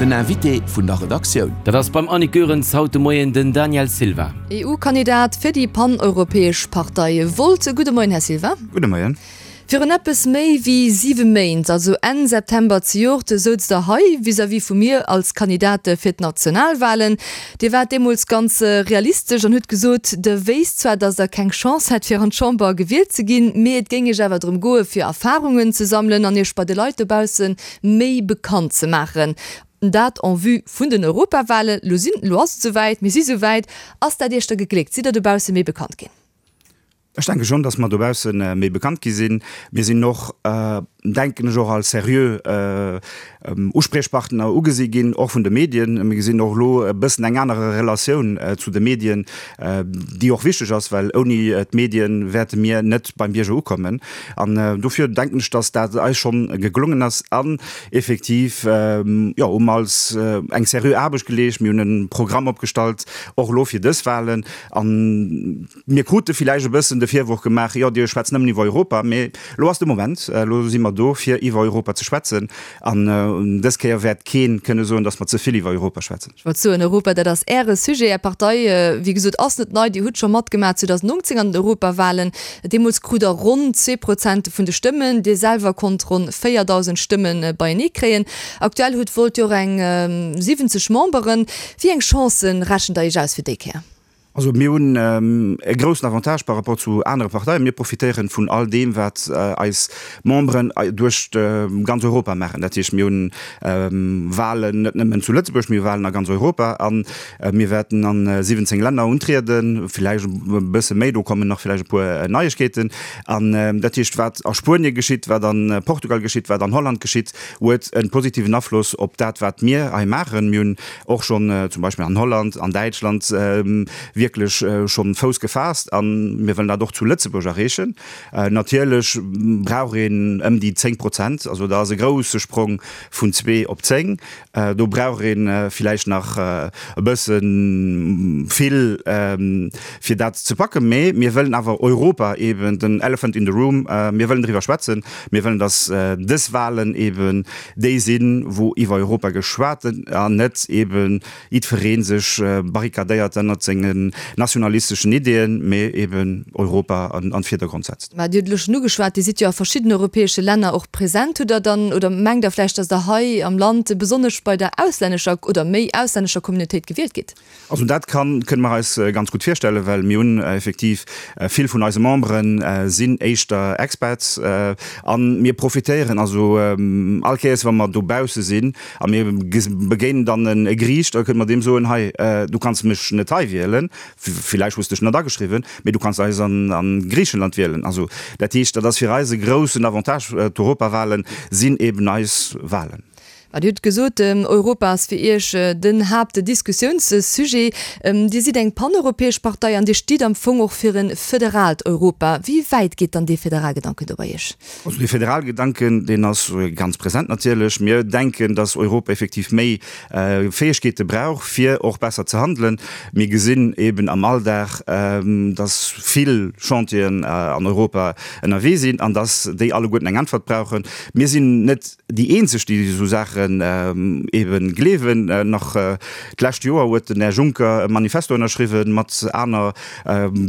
Den Invité vun der Redaktioun. Dat ass beim Annick Goerens haut de Moien den Daniel Silva. EU-Kandidat fir déi pan-europäesch Partei Volt. Gudde Moien, Här Silva. Gudde Moien. Virun eppes méi wéi 7 Méint, also Enn September zejoert, souz Der hei vis-à-vis vu mir als Kandidat fir d'Nationalwahlen. Dir waart deemools ganz realistesch an hutt gesot, Der wéisst zwar, datt Der keng Chance hätt fir an d'Chamber gewielt ze ginn, mee et géing Iech awer drëm goe fir Erfarungen ze sammelen an Iech bei de Leit dobausse méi bekannt ze maachen. Dat en vue vun den Europawahlen. Lo sinn, lo ass et esouwäit, mir si souwäit. Ass dat Iech da gegléckt? Sidd Der dobausse méi bekannt ginn? Ech denke schonn, datt mer dobausse méi bekannt gi sinn. Mir sinn och, denken ech, och als seriö Uspriechpartner ugesi ginn, och vun de Medien. Mir gesinn och elo e bëssen eng anere Relatioun zu de Medien, déi och wichteg ass, well ouni d'Medien wäerte mir net beim Bierger ukommen. An dofir denken ech, datt dat eis schonn geglongen ass. An effektiv, jo, hu mer als eng seriö Aarbecht geleescht. Mir hunn e Programm opgestallt, och elo fir dës Wahlen. An Mir krute villäicht e bëssen de Virworf gemaach, jo, Dir schwätzt nëmmen iwwer Europa. Mee elo ass de Moment, elo si mer do, fir iwwer Europa ze schwätzen. An dës Kéier wäert kee kënne soen, datt mer ze vill iwwer Europa schwätzen. Ech wollt soen, Europa, dat ass Äre Sujet. Är Partei, wéi gesot, ass net nei. Dir hutt scho matgemaach 2019 an den Europawahlen. Deemools krut Der ronn 2 Prozent vun de Stëmmen. Dir selwer konnt ronn 4.000 Stëmme beienee kréien. Aktuell hutt Volt jo och eng 70 Memberen. Wéi eng Chancë rechent Der Iech aus fir déi Kéier? Also mir hunn e groussen Avantage par rapport zu anere Parteien. Mir profitéieren vun all deem, wat eis Memberen duerch ganz Europa maachen. Dat heescht, mir hunn Wahlen net nëmmen zu Lëtzebuerg, mir hu Wahlen a ganz Europa a mir wäerten a 17 Länner untrieden, villäicht e bësse méi, do kommen nach villäicht e puer Neiegkeeten. An dat heescht, wat a Spuenie geschitt, wat a Portugal geschitt, wat an Holland geschitt, huet e positiven Afloss op dat, wat mir hei maachen. Mir hunn och schonn zum Beispill an Holland, an Däitschland wierklech schonn Fouss gefaasst a mir wëllen dat och zu Lëtzebuerg erreechen. Natierlech brauch een ëm déi 10 Prozent, also dat ass e grouse Sprong vun zwee op 10. Do brauch ee villäicht nach e bësse vill fir dat ze packen, mee mir wëllen awer Europa eben, den Elephant in the room, mir wëllen driwwer schwätzen, mir wëllen, datt dës Wahlen eben déi sinn, wou iwwer Europa geschwat an net eben jiddweree sech barrikadéiert ënnert sengen nationalisteschen Ideeën, mee eben Europa an den Virdergrond setzt. Mä Dir hutt elo schonn ugeschwat, Dir sidd jo a verschiddenen europäesche Länner och present. Hutt Der dann, oder mengt Der vläicht, datt Der hei am Land besonnesch bei der auslännescher oder méi auslännescher Communautéit gewielt gitt? Also dat kann, kënne mer eis ganz gutt virstellen, well mir hunn effektiv vill vun eise Membere sinn éischter Expats a mir profitéieren also all Kéiers wa mer dobausse sinn a mir begéinen dann e Griich, da kënne mer deem soen, hei du kanns mech net hei wielen, villäicht hues de dech net ageschriwwen, mee du kanns eis an Griichenland wielen. Also dat heescht, dat ass fir eis e groussen Avantage, d'Europawahlen sinn eben eis Wahlen. Mä Dir hutt gesot, Europa ass fir Iech den Haaptdiskussiounssujet. Dir sidd eng paneuropäesch Partei an Dir stitt am Fong och fir e federaalt Europa. Wéi wäit geet dann dee Federalgedanken do bei Iech? Also dee Federalgedanken, deen ass ganz present natierlech. Mir denken, datt Europa effektiv méi Fäegkeete brauch, fir och besser ze handelen. Mir gesinn eben am Alldag, datt vill Chantieren an Europa ënnerwee sinn an datt déi alleguerten eng Äntwert brauchen. Mir sinn net Déi eenzeg, déi esou Saachen ebe gleewen. Nach d'lescht Joer huet den Här Juncker e Manifesto ënnerschriwwen mat aner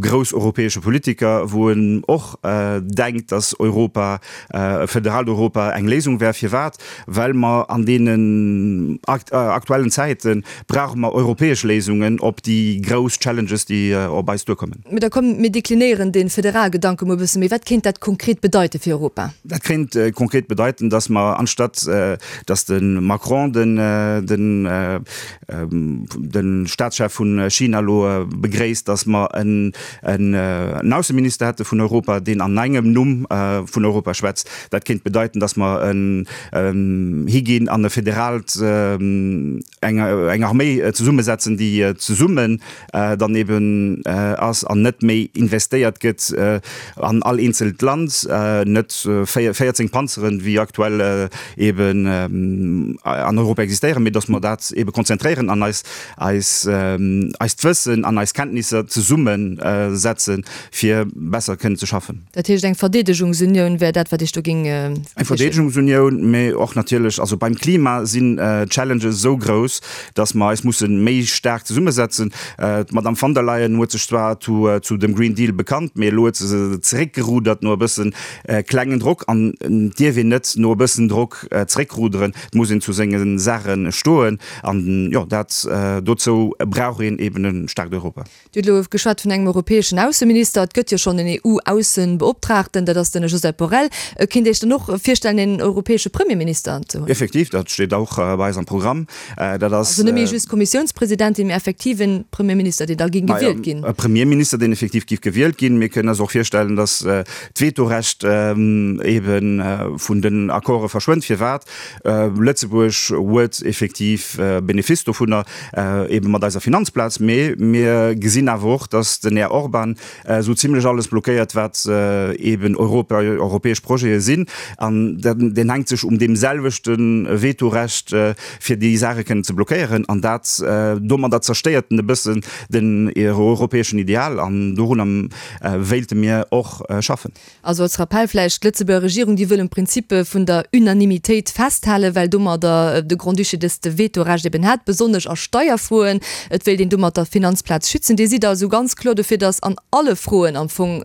grouss europäesche Politiker, wou en och denkt, datt Europa, e federaalt Europa eng Léisung wär. Firwat? Well mer an deenen aktuellen Zäite brauche mer europäesch Léisungen op déi grouss Challenges, déi op eis duerkommen. Mee da komm, mir deklinéieren dee Federalgedanke mol e bësse méi. Wat kéint dat konkret bedeite fir Europa? Dat kéint konkret bedeiten, datt mer, anstatt datt de Macron den de Staatschef vu China elo begréisst, datt mer en Ausseminister hätte vun Europa, deen an engem Numm vun Europa schwätzt. Dat kéint bedeiten, datt mer higinn an e federaalt, eng Arméi zesummesetzen, déi zesummen dann eben ass an net méi investéiert gëtt an all eenzelt Land, net 14 Panzeren, wéi aktuell eben. an Europa existéieren, mee datt mer dat ebe konzentréieren an eis, eis, eist Wëssen an eis Kenntnisser zesummesetzen, fir besser kënnen ze schaffen. Dat heescht, eng Verdeedegungsunioun wär dat, wat Iech do géing Eng Verdeedegungsunioun, mee och natierlech, also beim Klima sinn d'Challenges esou grouss, datt mer eis musse méi staark zesummesetzen. D'Madame von der Leyen huet sech zwar zu dem Green Deal bekannt, mee elo huet se se zeréckgerudert no e bësse klengen Drock. An et dierf een net no e bëssen Drock zeréckruderen, et muss een zu senge Saache stoen. An jo, dat dozou brauch een eben e staarkt Europa. Dir hutt elo geschwat vun engem europäeschen Ausseminister. Et gëtt jo schonn en EU-Aussebeoptraagten, dat ass den Josep Borrell. Kéint Dir Iech dann och virstellen, een europäesche Premierminister ze hunn? Effektiv, dat steet och bei eis am Programm. Dat ass. Also net méi just Kommissiounspresidentin, mee effektiv en Premierminister, deen da géing gewielt ginn. E Premierminister, deen effektiv géif gewielt ginn. Mir kënnen eis och virstellen, datt d'Vetorecht ebe vun den Accorde verschwënnt. Firwat? Lëtzebuerg huet effektiv Benefice dovunner, ebe mat eiser Finanzplaz, mee mir gesinn awer och, datt den Här Orban esou zimlech alles blockéiert, wat eben Europa, europäesch Projete sinn. An deen hänkt sech um deem selwechte Vetorecht, fir déi Saache kënnen ze blockéieren. An dat, domadder zerstéiert en e bëssen den europäeschen Ideal. An dorunner wéilte mir och schaffen. Also als Rappell vläicht, D'Lëtzebuerger Regierung, déi wëll um Prinzip vun der Unanimitéit festhalen, well domadder de Grand-Duché dëst Vetorecht eben hätt, besonnesch a Steierfroen. Et wéilt een domat der Finanzplaz schützen. Dir sidd also ganz kloer dofir, datt an alle Froen am Fong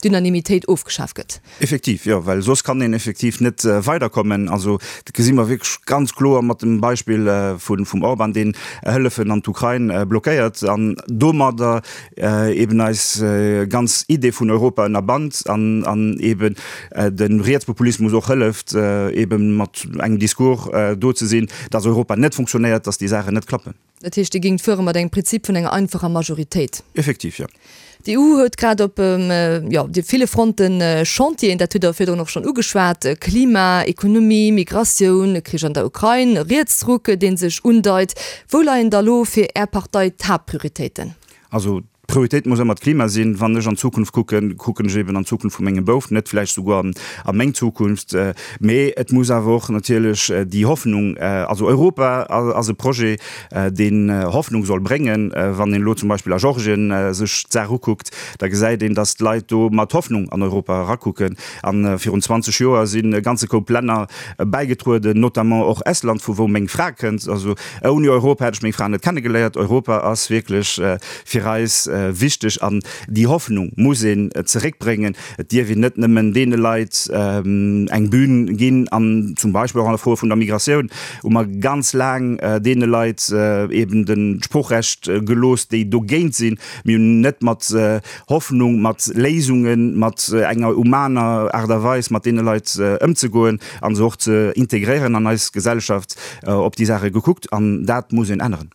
d'Unanimitéit ofgeschaf gëtt? Effektiv, jo, well soss kann een effektiv net weiderkommen. Also dat gesi mer wierklech ganz kloer mat dem Beispill vum Orban, deen Hëllefen an d'Ukrain blockéiert an domadder eben eis ganz Idee vun Europa ënnerbannt an an eben de Rietspopulismus och hëlleft, eben mat engem Discours do ze sinn, dass Europa net funktionéiert, dass déi Saachen net klappen. Dat heescht, Dir géingt fuere mat engem Prinzip vun enger einfacher Majoritéit? Effektiv, jo. D'EU huet grad op, jo, de ville Fronten Chantieren, dat hutt Der virdrun och schonn ugeschwat, Klima, Ekonomie, Migratioun, Krich an der Ukrain, Rietsruck, dee sech undeit. Wou leien da lo fir Är Partei d'Haaptprioritéiten? Also d'Prioritéit muss ëmmer d'Klima sinn. Wann ech an d'Zukunft kucken, kucken ech eben an d'Zukunft vu mengem Bouf, net vläicht souguer an a meng Zukunft. Mee et muss awer och natierlech déi Hoffnung, also Europa ass e Projet, deen Hoffnung soll bréngen. Wann een elo zum Beispill a Georgien sech d'Saach ukuckt, da gesäit een, datt d'Leit do mat Hoffnung an Europa erakucken. A virun 20 Joer sinn e ganze Koup Länner bäigetrueden, notamment och Estland, vu wou meng Fra kënnt. Also ouni Europa hätt ech meng Fra net kennegeléiert. Europa ass wierklech fir eis wichteg an déi Hoffnung muss een zeréckbréngen. Et dierf een net nëmmen deene Leit eng Bühn ginn an zum Beispill och an der Fro vun der Migratioun hu mer ganz laang deene Leit eben de Sproochrecht gelooss, déi dogéint sinn. Mir hunn net mat Hoffnung, mat Léisungen, mat enger humaner Aart a Weis mat deene Leit ëmzegoen a se och ze integréieren an eis Gesellschaft, op déi Saache gekuckt. An dat muss een änneren.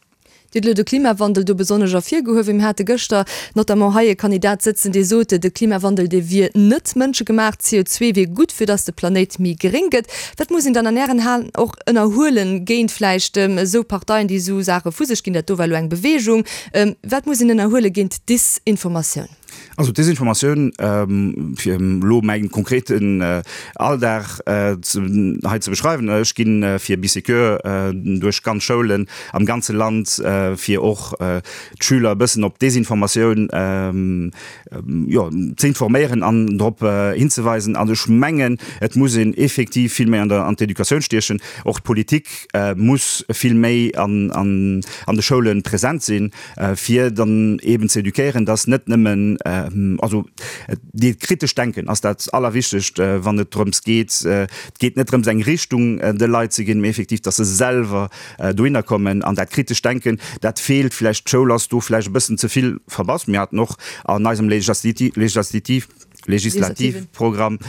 Dir hutt elo de Klimawandel do besonnesch ervirgehuewen. Mir hate gëschter notamment hei e Kandidat sëtzen, dee sot, de Klimawandel, dee wier net mënschegemaach, CO2 wier gutt, fir datt de Planéit méi gréng gëtt. Wat muss een dann an Ären Aen och ënnerhuelen géint vläicht esou Parteien, déi esou Saache vu sech ginn? Dat do war elo eng Beweegung. Wat muss een ënnerhuele géint d'Disinformatioun? Also d'Desinformatioun, fir elo mäi konkreten Alldag hei ze beschreiwen, ech gi fir Bisécure duerch ganz Schoulen am ganze Land, fir och d'Schüler e bëssen op d'Desinformatioun, jo, ze informéieren an drop hinzeweisen. An ech mengen, et muss een effektiv vill méi an der an d'Educatioun stiechen. Och d'Politik muss vill méi an an an de Schoule present sinn, fir dann eeben ze eduquéieren, dass net nëmmen, also dat kritescht Denken ass dat Allerwichtegst, wann et drëms geet, et geet net drëms eng Richtung de Leit ze ginn, mee effektiv, dass se selwer dohinner kommen. An dat kritescht Denken, dat feelt vläicht. D'Schoul ass do vläicht e bëssen ze vill verbass. Mir haten och an eisem Legislativ, Legislativprogramm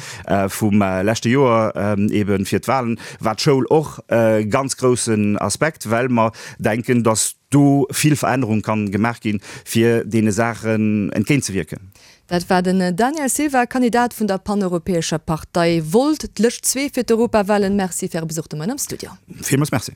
vum leschte Joer eebe fir d'Wahlen, war d'Schoul och e ganz groussen Aspekt, well mer denken, dass do vill Verännerung kann gemaach ginn, fir deene Saachen entgéintzewierken. Dat war den Daniel Silva, Kandidat vun der paneuropäescher Partei Volt, d'Lëscht 2 fir d'Europawahlen. Merci fir Äre Besuch de Moien am Studio. Villmools Merci.